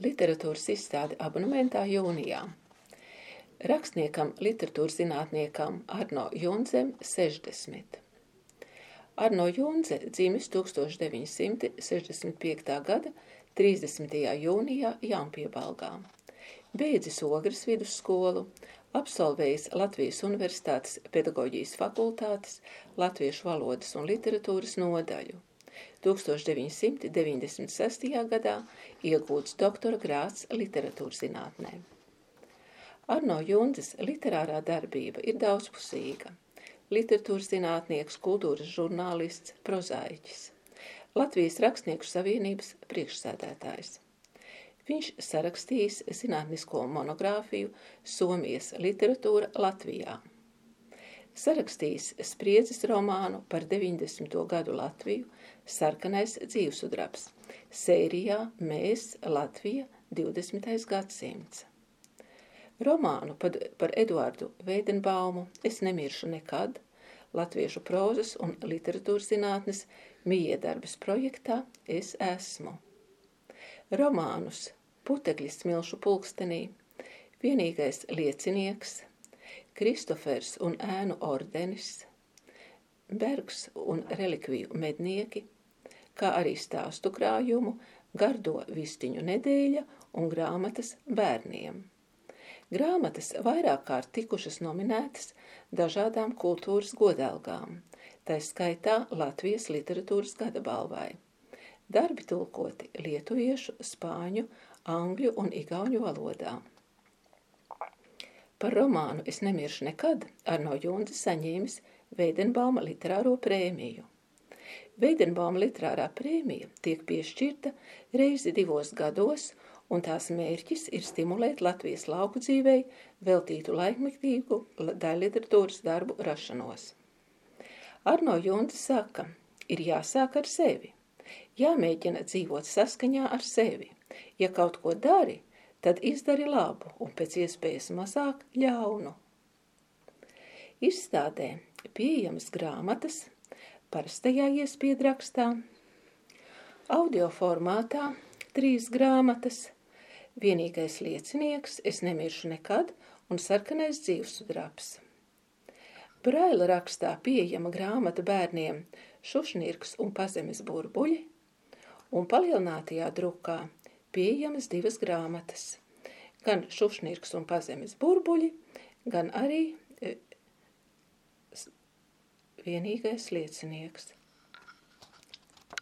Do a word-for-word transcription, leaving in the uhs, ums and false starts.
Literatūras izstāde abonementā jūnijā. Rakstniekam, literatūras zinātniekam Arno Jundzem sešdesmit. Arno Jundze dzimis tūkstoš deviņi simti sešdesmit piektā gada trīsdesmitajā jūnijā Jaunpiebalgā. Beidzis Ogres vidusskolu, absolvējis Latvijas Universitātes pedagoģijas fakultātes, latviešu valodas un literatūras nodaļu. tūkstoš deviņi simti deviņdesmit sestajā gadā iegūts doktora grāds literatūras zinātnē. Arno Jundzes literārā darbība ir daudzpusīga. Literatūras zinātnieks, kultūras žurnālists, prozaiķis. Latvijas Rakstnieku savienības priekšsēdētājs. Viņš sarakstījis zinātnisko monogrāfiju Somijas literatūra Latvijā. Sarakstījis spriedzes romānu par deviņdesmito gadu Latviju Sarkanais dzīvsudrabs, sērijā Mēs, Latvija, divdesmitais gadsimts. Romānu par, par Eduardu Veidenbaumu Es nemiršu nekad, latviešu prozas un literatūras zinātnes mijiedarbes projektā Es esmu. Romānus Putekļi smilšu pulkstenī, Vienīgais liecinieks, Kristofers un ēnu ordenis, Bergs un relikviju mednieki, kā arī stāstu krājumu Gardo vistiņu nedēļa un grāmatas bērniem. Grāmatas vairāk kārt tikušas nominētas dažādām kultūras godalgām, tai skaitā Latvijas literatūras gada balvai. Darbi tulkoti lietuviešu, spāņu, angļu un igauņu valodā. Par romānu Es nemiršu nekad Arno Jundze saņēmis Veidenbauma literāro prēmiju. Veidenbauma literārā prēmija tiek piešķirta reizi divos gados, un tās mērķis ir stimulēt Latvijas lauku dzīvei veltītu laikmetīgu daļliteratūras darbu rašanos. Arno Jundze saka, ir jāsāk ar sevi, jāmēģina dzīvot saskaņā ar sevi. Ja kaut ko dari, tad izdari labu un pēc iespējas mazāk ļaunu. Izstādē pieejamas grāmatas parastajā iespiedrakstā, audio formātā trīs grāmatas, Vienīgais liecinieks, Es nemiršu nekad un Sarkanais dzīvsudrabs. Braila rakstā pieejama grāmata bērniem Šušnirks un pazemes burbuļi, un palielinātajā drukā pieejamas divas grāmatas, gan Šušnirks un pazemes burbuļi, gan arī Vienīgais liecinieks.